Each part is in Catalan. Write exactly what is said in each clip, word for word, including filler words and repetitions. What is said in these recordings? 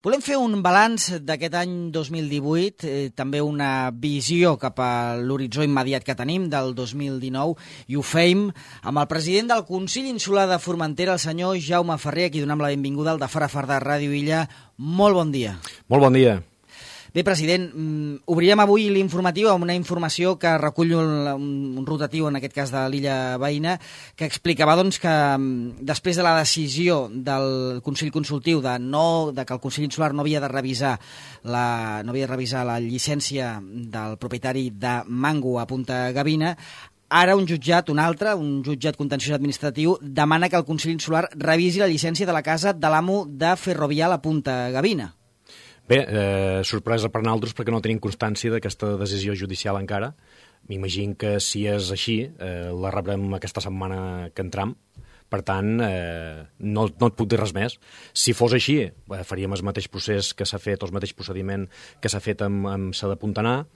Volem fer un balanç d'aquest any dos mil divuit, eh, també una visió cap a l'horitzó immediat que tenim del dos mil dinou, i ho fem amb el president del Consell Insular de Formentera, el senyor Jaume Ferrer, a qui donem la benvinguda al de Fara Far de Ràdio Illa. Molt bon dia. Molt bon dia. Bé, president, obrirem avui l'informatiu amb una informació que recull un, un rotatiu, en aquest cas de l'illa veïna, que explicava doncs, que després de la decisió del Consell Consultiu de, no, de que el Consell Insular no havia de revisar la, no havia de revisar la llicència del propietari de Mango a Punta Gavina, ara un jutjat, un altre, un jutjat contenciós administratiu, demana que el Consell Insular revisi la llicència de la casa de l'amo de Ferrovial a Punta Gavina. Bé, eh, sorpresa per nosaltres perquè no tenim constància d'aquesta decisió judicial encara. M'imagino que si és així, eh, la rebrem aquesta setmana que entram. Per tant, eh, no, no et puc dir res més. Si fos així, eh, faríem el mateix procés que s'ha fet, el mateix procediment que s'ha fet amb, amb Sa de Puntanar,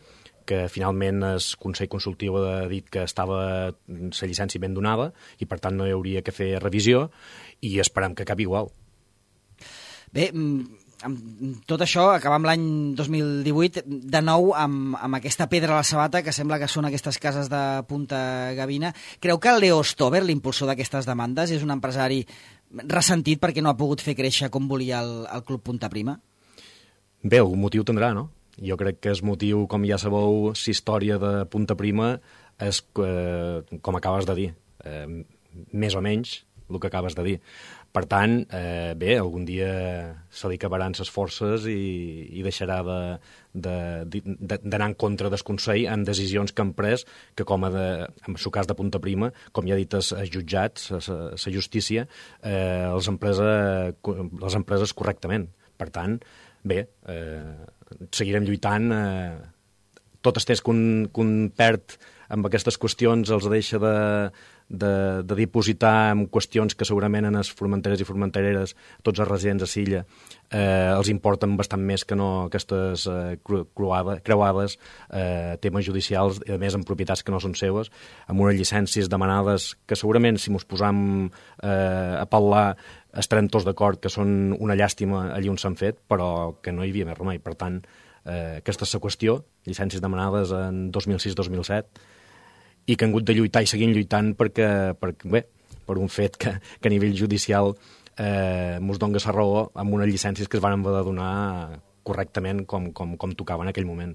que finalment el Consell Consultiu ha dit que estava la llicència ben donada i per tant no hi hauria que fer revisió i esperem que acabi igual. Bé, amb tot això, acabam l'any dos mil divuit, de nou amb, amb aquesta pedra a la sabata que sembla que són aquestes cases de Punta Gavina. Creu que Leo Stover, l'impulsor d'aquestes demandes, és un empresari ressentit perquè no ha pogut fer créixer com volia el, el Club Punta Prima? Bé, algun motiu tindrà, no? Jo crec que el motiu, com ja sabeu, la història de Punta Prima és, eh, com acabes de dir, eh, més o menys el que acabes de dir. Per tant, eh, bé, algun dia se li acabaran les forces i, i deixarà d'anar de, de, de, en contra del Consell en decisions que han pres, que com a de, en el cas de Punta Prima, com ja ha dit els jutjats, la justícia, eh, les, empreses, les empreses correctament. Per tant, bé, eh, seguirem lluitant. Eh, tot el temps que un, que un perd amb aquestes qüestions els deixa de... De, de dipositar en qüestions que segurament en els formenteres i formentereres, tots els residents a Silla, eh, els importen bastant més que no aquestes eh, creuades, creuades eh, temes judicials, i a més en propietats que no són seues, amb unes llicències demanades que segurament si mos posam eh, a parlar estarem tots d'acord que són una llàstima allí on s'han fet, però que no hi havia més remei. Per tant, eh, aquesta és la qüestió, llicències demanades en dos mil sis dos mil set, i que han hagut de lluitar i seguim lluitant perquè, perquè bé, per un fet que, que a nivell judicial eh, mos dona la raó amb unes llicències que es van haver de donar correctament com, com, com tocava en aquell moment.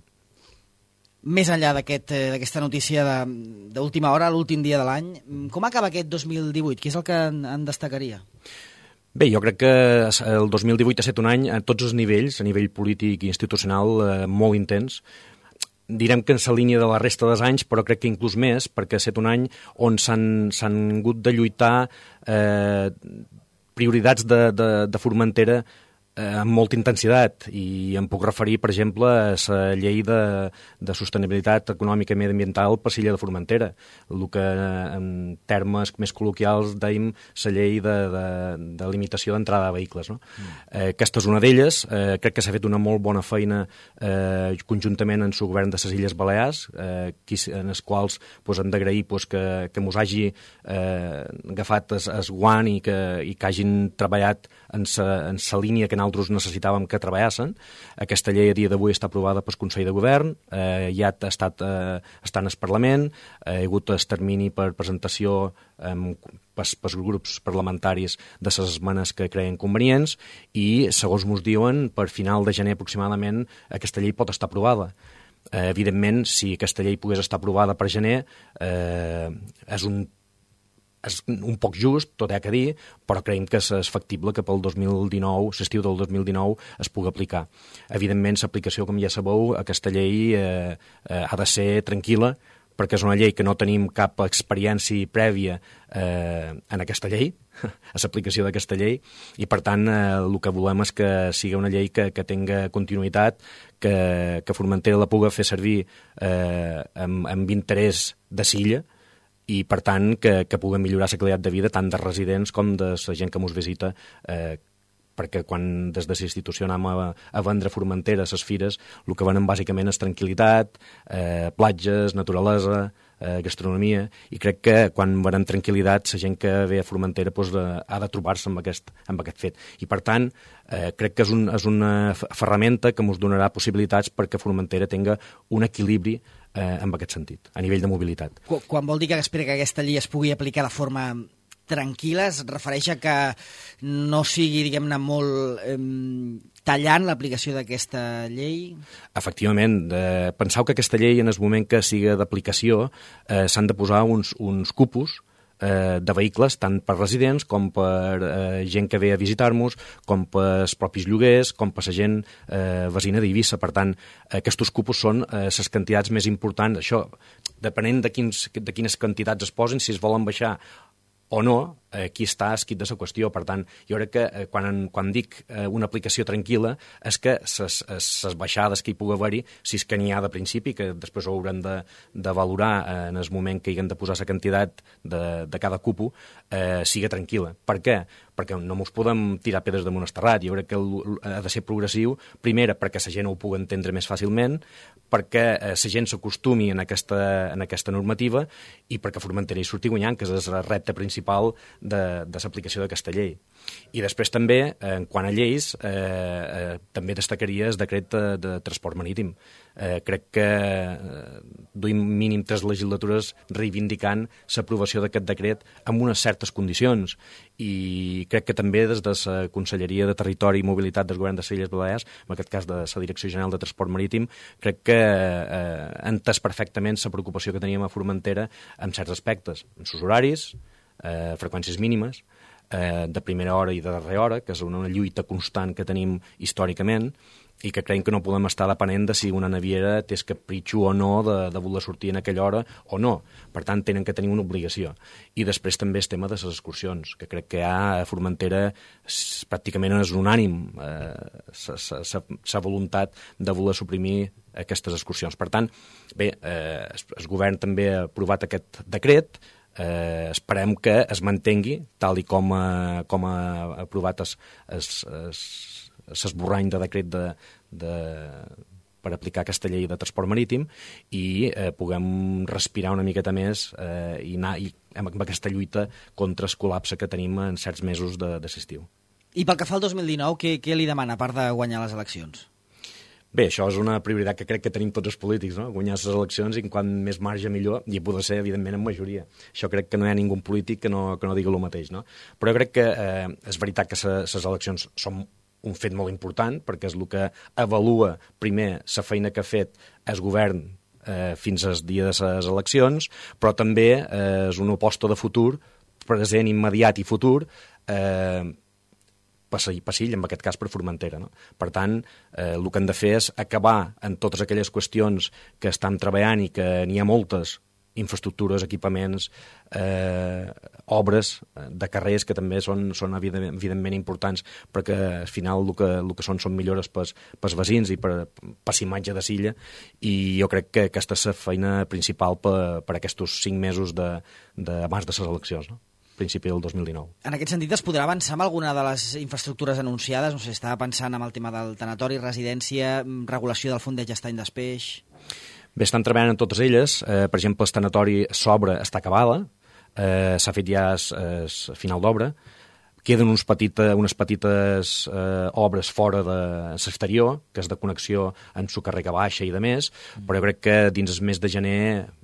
Més enllà d'aquest, d'aquesta notícia d'última hora, l'últim dia de l'any, com acaba aquest dos mil divuit? Què és el que en, en destacaria? Bé, jo crec que el dos mil divuit ha estat un any a tots els nivells, a nivell polític i institucional, eh, molt intens. Direm que en la línia de la resta dels anys, però crec que inclús més, perquè ha estat un any on s'han hagut de lluitar eh, prioritats de, de, de Formentera eh, amb molta intensitat, i em puc referir, per exemple, a la llei de, de sostenibilitat econòmica i mediambiental per l'illa de Formentera, el que en termes més col·loquials dèiem la llei de, de, de limitació d'entrada de vehicles. No? Mm. Eh, aquesta és una d'elles. Eh, crec que s'ha fet una molt bona feina eh, conjuntament en el govern de les Illes Balears, eh, qui, en els quals pues, hem d'agrair pues, que, que mos hagi eh, agafat el, el guant i que, i que hagin treballat en la línia que nosaltres necessitàvem que treballessin. Aquesta llei a dia d'avui està aprovada pel Consell de Govern, eh, ja ha estat eh, està en el Parlament, eh, hi ha hagut el termini per presentació eh, pels, pels grups parlamentaris de les esmenes que creien convenients, i, segons ens diuen, per final de gener aproximadament aquesta llei pot estar aprovada. Eh, evidentment, si aquesta llei pogués estar aprovada per gener, eh, és un és un poc just, tot hi ha que dir, però creiem que és factible que pel dos mil dinou, l'estiu del dos mil dinou, es pugui aplicar. Evidentment, l'aplicació, com ja sabeu, aquesta llei eh, eh, ha de ser tranquil·la, perquè és una llei que no tenim cap experiència prèvia eh, en aquesta llei, a l'aplicació d'aquesta llei, i per tant eh, el que volem és que sigui una llei que, que tinga continuïtat, que, que Formentera la pugui fer servir eh, amb, amb interès de Silla, i, per tant, que, que puguem millorar la qualitat de vida tant de residents com de la gent que ens visita, eh, perquè quan des de la institució anem a, a vendre Formentera a les fires, el que venen bàsicament és tranquil·litat, eh, platges, naturalesa, eh, gastronomia, i crec que quan veurem tranquil·litat la gent que ve a Formentera doncs, de, ha de trobar-se amb aquest, amb aquest fet. I per tant, eh, crec que és, un, és una ferramenta que ens donarà possibilitats perquè Formentera tinga un equilibri eh, en aquest sentit, a nivell de mobilitat. Quan vol dir que espera que aquesta llei es pugui aplicar de forma tranquil·la, es refereix a que no sigui, diguem-ne, molt eh, tallant l'aplicació d'aquesta llei? Efectivament. Eh, penseu que aquesta llei, en el moment que sigui d'aplicació, eh, s'han de posar uns, uns cupos eh, de vehicles, tant per residents com per eh, gent que ve a visitar-nos, com per els propis lloguers, com per la gent eh, veïna d'Eivissa. Per tant, aquests cupos són les eh, quantitats més importants. Això, depenent de, quins, de quines quantitats es posin, si es volen baixar o no, aquí està escrit de la qüestió. Per tant, jo crec que eh, quan, quan dic eh, una aplicació tranquil·la és que les baixades que hi pugui haver-hi, si és que n'hi ha de principi, que després ho haurem de, de valorar eh, en el moment que hi haguem de posar la quantitat de, de cada cupo, eh, siga tranquil·la. Per què? Perquè no ens podem tirar pedres damunt el terrat. Jo crec que ha de ser progressiu, primera, perquè la gent ho pugui entendre més fàcilment, perquè la eh, gent s'acostumi en aquesta, en aquesta normativa i perquè Formentera hi surti guanyant, que és el repte principal de, de l'aplicació d'aquesta llei. I després també, en quant a lleis, eh, eh, també destacaria el decret de, de transport marítim. Eh, crec que eh, duim mínim tres legislatures reivindicant l'aprovació d'aquest decret amb unes certes condicions, i crec que també des de la Conselleria de Territori i Mobilitat del Govern de les Illes Balears, en aquest cas de la Direcció General de Transport Marítim, crec que eh, ha entès perfectament la preocupació que teníem a Formentera en certs aspectes, en els horaris, eh, freqüències mínimes, eh, de primera hora i de darrera hora, que és una, una lluita constant que tenim històricament, i que creiem que no podem estar depenent de si una naviera té el capritxo o no de, de voler sortir en aquella hora o no. Per tant, tenen que tenir una obligació. I després també el tema de les excursions, que crec que a Formentera pràcticament és unànim la eh, voluntat de voler suprimir aquestes excursions. Per tant, bé, eh, el govern també ha aprovat aquest decret. Eh, esperem que es mantengui tal i com ha, com ha aprovat es, es, es l'esborrany de decret de, de, per aplicar aquesta llei de transport marítim i eh, puguem respirar una miqueta més eh, i anar i, amb, amb aquesta lluita contra el col·lapse que tenim en certs mesos de, de l'estiu. I pel que fa al dos mil dinou, què, què li demana, a part de guanyar les eleccions? Bé, això és una prioritat que crec que tenim tots els polítics, no? Guanyar les eleccions i quan més marge millor, i poder ser, evidentment, en majoria. Això crec que no hi ha ningú polític que no, que no digui el mateix, no? Però jo crec que eh, és veritat que les eleccions són un fet molt important, perquè és el que avalua primer la feina que ha fet el govern eh, fins al dia de les eleccions, però també eh, és una aposta de futur, present, immediat i futur, eh, passill, en aquest cas per Formentera. No? Per tant, eh, el que hem de fer és acabar en totes aquelles qüestions que estem treballant i que n'hi ha moltes, infraestructures, equipaments, eh, obres de carrers que també són, són evidentment, evidentment importants, perquè al final el que, el que són són millores pels, pels veïns i per, per imatge de Silla, i jo crec que aquesta és la feina principal per, per aquests cinc mesos de, de, abans de les eleccions, no? Principi del dos mil dinou. En aquest sentit, es podrà avançar amb alguna de les infraestructures anunciades? No sé, estava pensant en el tema del tanatori, residència, regulació del fondeig estany d'Espeix... Bé, estan treballant en totes elles. Eh, per exemple, el tanatori s'obra, està acabada, eh, s'ha fet ja el final d'obra. Queden uns petita, unes petites eh, obres fora de l'exterior, que és de connexió amb su carrega baixa i de més, però jo crec que dins el mes de gener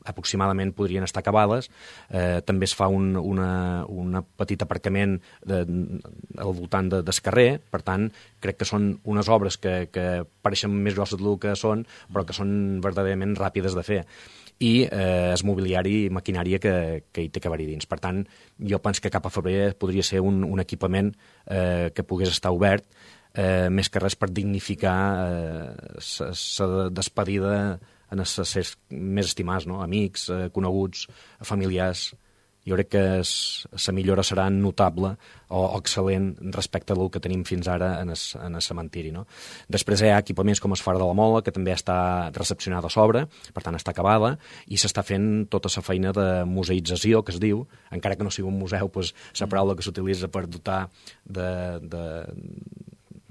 aproximadament podrien estar acabades. Eh, també es fa un una, una petit aparcament de, al voltant de, del carrer, per tant, crec que són unes obres que, que pareixen més grosses del que són, però que són verdaderament ràpides de fer. I eh, el mobiliari i maquinària que, que hi té que haver-hi dins. Per tant, jo penso que cap a febrer podria ser un, un equipament eh, que pogués estar obert, eh, més que res per dignificar la eh, despedida en els éssers més estimats, no? Amics, eh, coneguts, familiars. Jo crec que la millora serà notable o, o excel·lent respecte del que tenim fins ara en el, en el cementiri. No? Després hi ha equipaments com el Far de la Mola, que també està recepcionada a sobre, per tant està acabada, i s'està fent tota la feina de museïtzació, que es diu, encara que no sigui un museu, doncs, la paraula que s'utilitza per dotar de... de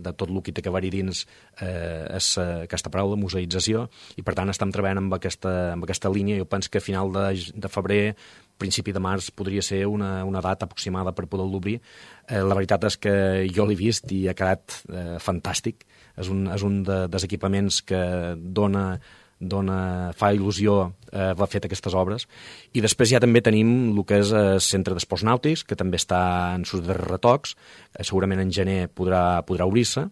de tot el que té que haver-hi dins eh, és eh, aquesta paraula, museïtzació, i per tant estem treballant amb aquesta, amb aquesta línia. Jo penso que a final de, de febrer, principi de març, podria ser una, una data aproximada per poder-lo obrir. Eh, la veritat és que jo l'he vist i ha quedat eh, fantàstic. És un, és un de, dels equipaments que dona dona, fa il·lusió eh, haver fet aquestes obres. I després ja també tenim el que és el Centre d'Esports Nàutics, que també està en sus darrers retocs, eh, segurament en gener podrà, podrà obrir-se,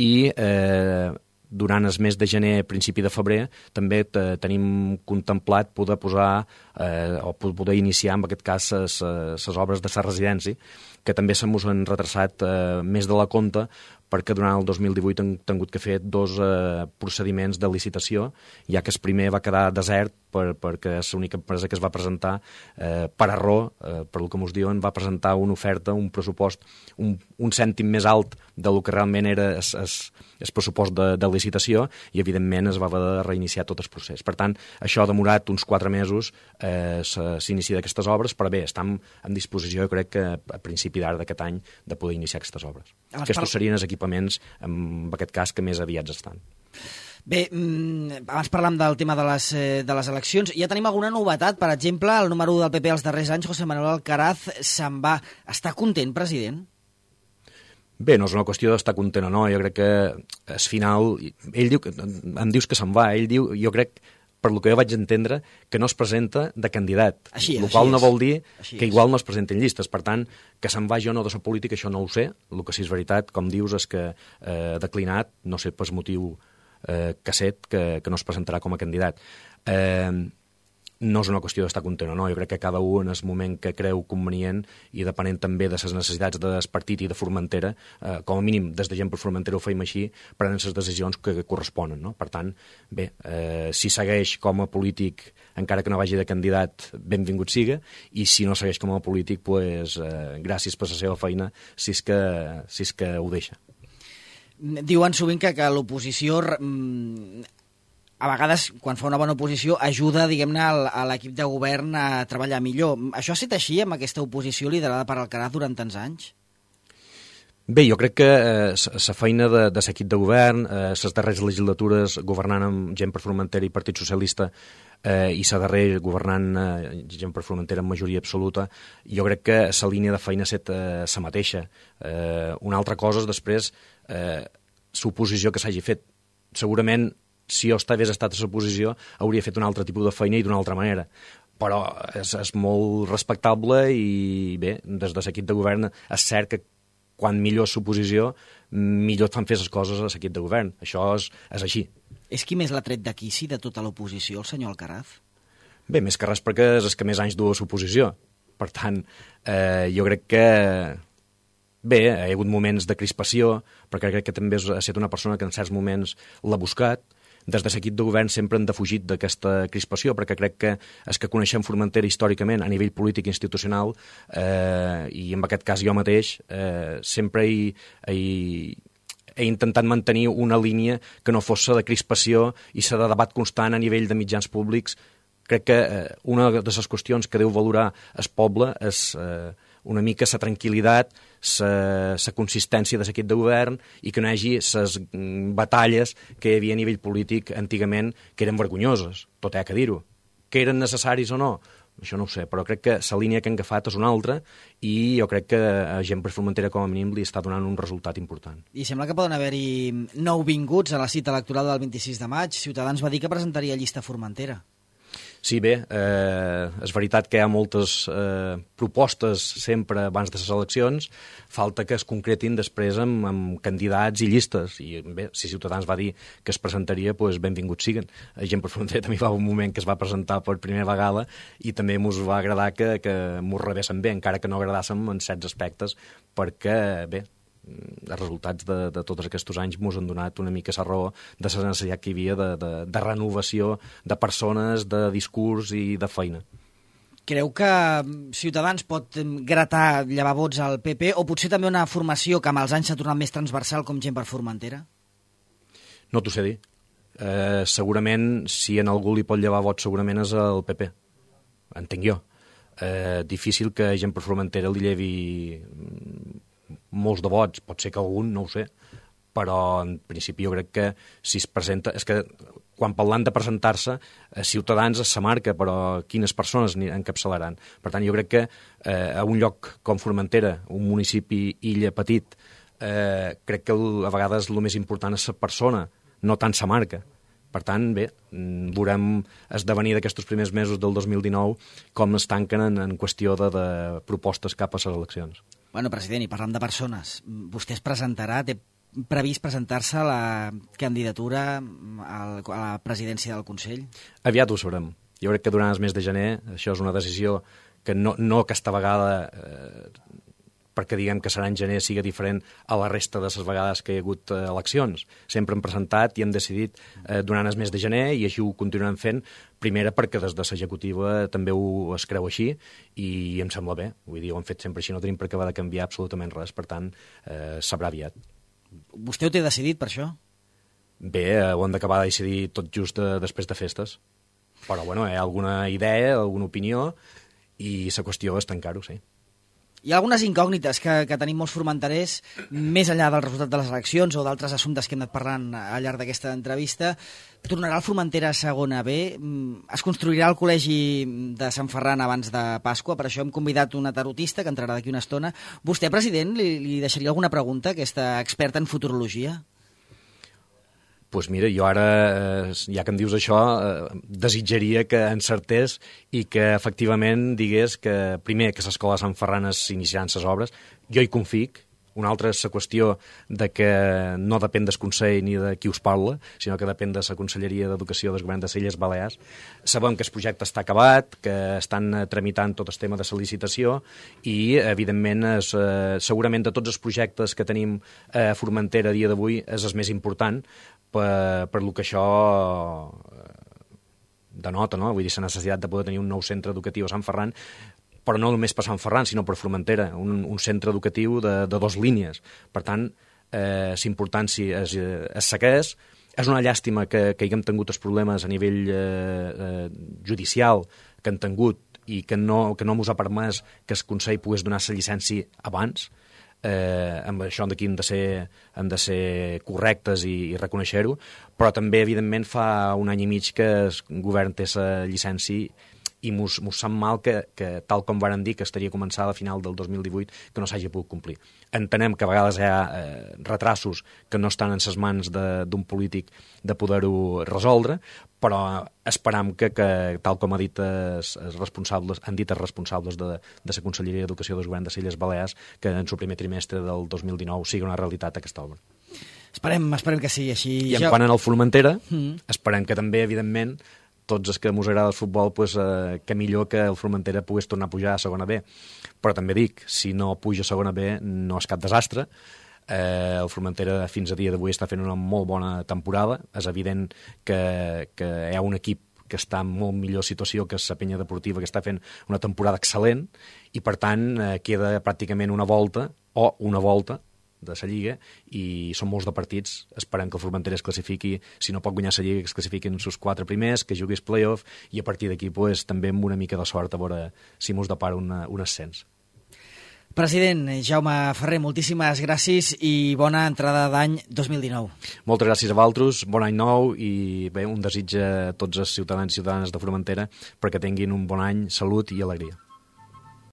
i eh, durant el mes de gener, principi de febrer, també tenim contemplat poder posar eh, o poder iniciar, en aquest cas, les obres de la residència, que també se mos han retrasat eh, més de la compta, perquè durant el dos mil divuit han tingut que fer dos eh, procediments de licitació, ja que el primer va quedar desert per, perquè és l'única empresa que es va presentar eh, per error, eh, per el que mos diuen, va presentar una oferta, un pressupost, un, un cèntim més alt del que realment era el pressupost de, de licitació, i evidentment es va haver de reiniciar tot el procés. Per tant, això ha demorat uns quatre mesos eh, s'inici d'aquestes obres, però bé, estem en disposició, jo crec que a principi d'ara d'aquest any, de poder iniciar aquestes obres. Aquests par... serien els equipaments, en aquest cas, que més aviats estan. Bé, abans parlàvem del tema de les, de les eleccions. Ja tenim alguna novetat? Per exemple, el número u del P P als darrers anys, José Manuel Alcaraz, se'n va. Està content, president? Bé, no és una qüestió d'estar content o no. Jo crec que al final... Ell diu que, em dius que se'n va. Ell diu, jo crec, per lo que jo vaig entendre, que no es presenta de candidat. Així és, el qual així no vol dir així que és. igual no es presenten llistes. Per tant, que se'n vagi o no de la política, això no ho sé. El que sí és veritat, com dius, és que eh, declinat, no sé per motiu eh, casset, que, que no es presentarà com a candidat. Eh, no és una qüestió d'estar content o no. Jo crec que cada un en el moment que creu convenient, i depenent també de les necessitats del partit i de Formentera, eh, com a mínim des de gent per Formentera ho feim així, prenen les decisions que corresponen, no? Per tant, bé, eh, si segueix com a polític, encara que no vagi de candidat, benvingut siga, i si no segueix com a polític, pues, eh, gràcies per la seva feina, si és que, si és que ho deixa. Diuen sovint que, que l'oposició... a vegades, quan fa una bona oposició, ajuda, diguem-ne, a l'equip de govern a treballar millor. Això ha estat així amb aquesta oposició liderada per Alcaraz durant tants anys? Bé, jo crec que la eh, feina de, de l'equip de govern, les eh, darreres legislatures governant amb gent per Formentera i Partit Socialista, eh, i la darrera governant eh, gent per Formentera amb majoria absoluta, jo crec que la línia de feina ha estat eh, la mateixa. Eh, una altra cosa és després eh, l'oposició que s'hagi fet. Segurament, si jo hagués estat a l'oposició, hauria fet un altre tipus de feina i d'una altra manera. Però és, és molt respectable i, bé, des de l'equip de govern és cert que quan millor és l'oposició, millor et fan fer les coses a l'equip de govern. Això és, és així. És qui més l'ha tret d'aquí, sí, de tota l'oposició, el senyor Alcaraz? Bé, més que res perquè és el que més anys du a l'oposició. Per tant, eh, jo crec que... Bé, hi ha hagut moments de crispació, perquè crec que també ha estat una persona que en certs moments l'ha buscat. Des de l'equip de govern sempre han defugit d'aquesta crispació, perquè crec que és que coneixem Formentera històricament a nivell polític i institucional, eh, i en aquest cas jo mateix, eh, sempre he, he, he intentat mantenir una línia que no fos de crispació i de debat constant a nivell de mitjans públics. Crec que eh, una de les qüestions que deu valorar el poble és eh, una mica la tranquil·litat, la consistència de l'equip de govern, i que no hi hagi les batalles que hi havia a nivell polític antigament, que eren vergonyoses, tot hi ha que dir-ho. Que eren necessaris o no? Això no ho sé, però crec que la línia que han agafat és una altra, i jo crec que a gent per Formentera com a mínim li està donant un resultat important. I sembla que poden haver-hi nouvinguts a la cita electoral del vint-i-sis de maig. Ciutadans va dir que presentaria llista Formentera. Sí, bé, eh, és veritat que hi ha moltes eh, propostes sempre abans de les eleccions, falta que es concretin després amb, amb candidats i llistes, i bé, si Ciutadans va dir que es presentaria, doncs benvinguts siguen. A gent per Formentera també va un moment que es va presentar per primera vegada i també mos va agradar que, que mos rebessin bé, encara que no agradassem en certs aspectes, perquè, bé, els resultats de, de tots aquests anys ens han donat una mica la raó de la necessitat que hi havia de, de, de renovació de persones, de discurs i de feina. Creu que Ciutadans pot gratar, llevar vots al P P, o potser també una formació que amb els anys s'ha tornat més transversal com gent per Formentera? No t'ho sé dir. Eh, segurament, si en algú li pot llevar vots, segurament és el P P. Entenc jo. Eh, difícil que gent per Formentera li llevi molts de vots, pot ser que algun, no ho sé, però en principi jo crec que si es presenta... És que quan parlant de presentar-se, eh, Ciutadans és sa marca, però quines persones encapçalaran? Per tant, jo crec que eh, a un lloc com Formentera, un municipi illa petit, eh, crec que el, a vegades el més important és la persona, no tant sa marca. Per tant, bé, veurem esdevenir d'aquests primers mesos del dos mil dinou com es tanquen en, en qüestió de, de propostes cap a les eleccions. Bueno, president, i parlant de persones, vostè es presentarà, té previst presentar-se a la candidatura al, a la presidència del Consell? Aviat ho sabrem. Jo crec que durant el mes de gener això és una decisió que no, no aquesta vegada, eh, perquè diguem que serà en gener, siga diferent a la resta de les vegades que hi ha hagut eh, eleccions. Sempre hem presentat i hem decidit eh, durant el mes de gener i així ho continuarem fent, primera perquè des de l'executiva també ho es creu així i em sembla bé. Vull dir, ho hem fet sempre així, no tenim per què haver de canviar absolutament res, per tant, eh, sabrà aviat. Vostè ho té decidit, per això? Bé, eh, ho hem d'acabar de decidir tot just de, després de festes. Però, bueno, hi ha alguna idea, alguna opinió, i la qüestió és tancar-ho, sí. Hi ha algunes incògnites que, que tenim molts formenterers, més enllà del resultat de les eleccions o d'altres assumptes que hem anat parlant al llarg d'aquesta entrevista. Tornarà el Formentera a segona B? Es construirà el col·legi de Sant Ferran abans de Pasqua? Per això hem convidat una tarotista que entrarà d'aquí una estona. Vostè, president, li, li deixaria alguna pregunta, aquesta experta en futurologia? Doncs pues mira, jo ara, eh, ja que em dius això, eh, desitjaria que encertés i que efectivament digués que, primer, que l'escola de Sant Ferran s'iniciaran les obres. Jo hi confic. Una altra és la qüestió de que no depèn del Consell ni de qui us parla, sinó que depèn de la Conselleria d'Educació del Govern de les Illes Balears. Sabem que el projecte està acabat, que estan tramitant tot el tema de la licitació i, evidentment, és, eh, segurament de tots els projectes que tenim a Formentera a dia d'avui és el més important, per, per lo que això denota, no? Vull dir, la necessitat de poder tenir un nou centre educatiu a Sant Ferran, però no només per Sant Ferran, sinó per Formentera, un, un centre educatiu de, de dos línies. Per tant, eh, l'importància es, es segueix. És una llàstima que, que haguem tingut els problemes a nivell eh, eh, judicial que han tingut i que no, que no mos ha permès que el Consell pogués donar la llicència abans. Eh, amb això d'aquí hem de ser, hem de ser correctes i, i reconèixer-ho, però també, evidentment, fa un any i mig que el govern té la llicència i mos, mos sap mal que, que, tal com varen dir, que estaria començada a final del dos mil divuit, que no s'hagi pogut complir. Entenem que a vegades hi ha eh, retrasos que no estan en les mans d'un polític de poder-ho resoldre, però esperam que, que tal com ha dit els, els responsables, han dit els responsables de, de la Conselleria d'Educació del Govern de les Illes Balears, que en el primer trimestre del dos mil dinou sigui una realitat aquesta obra. Esperem, esperem que sigui així. I en quant al Formentera, mm. esperem que també, evidentment, tots els que mos agrada el futbol, pues, eh, que millor que el Formentera pogués tornar a pujar a segona B. Però també dic, si no puja a segona B no és cap desastre. Eh, el Formentera fins a dia d'avui està fent una molt bona temporada. És evident que, que hi ha un equip que està en molt millor situació que la Penya Deportiva, que està fent una temporada excel·lent, i per tant eh, queda pràcticament una volta, o una volta, de la Lliga, i són molts de partits. Esperem que el Formentera es classifiqui, si no pot guanyar la Lliga, que es classifiquin els seus quatre primers, que jugui el play-off, i a partir d'aquí pues, també amb una mica de sort a veure si mos depara una, un ascens. President Jaume Ferrer, moltíssimes gràcies i bona entrada d'any dos mil dinou. Moltes gràcies a vosaltres, bon any nou i bé, un desig a tots els ciutadans i ciutadanes de Formentera perquè tinguin un bon any, salut i alegria.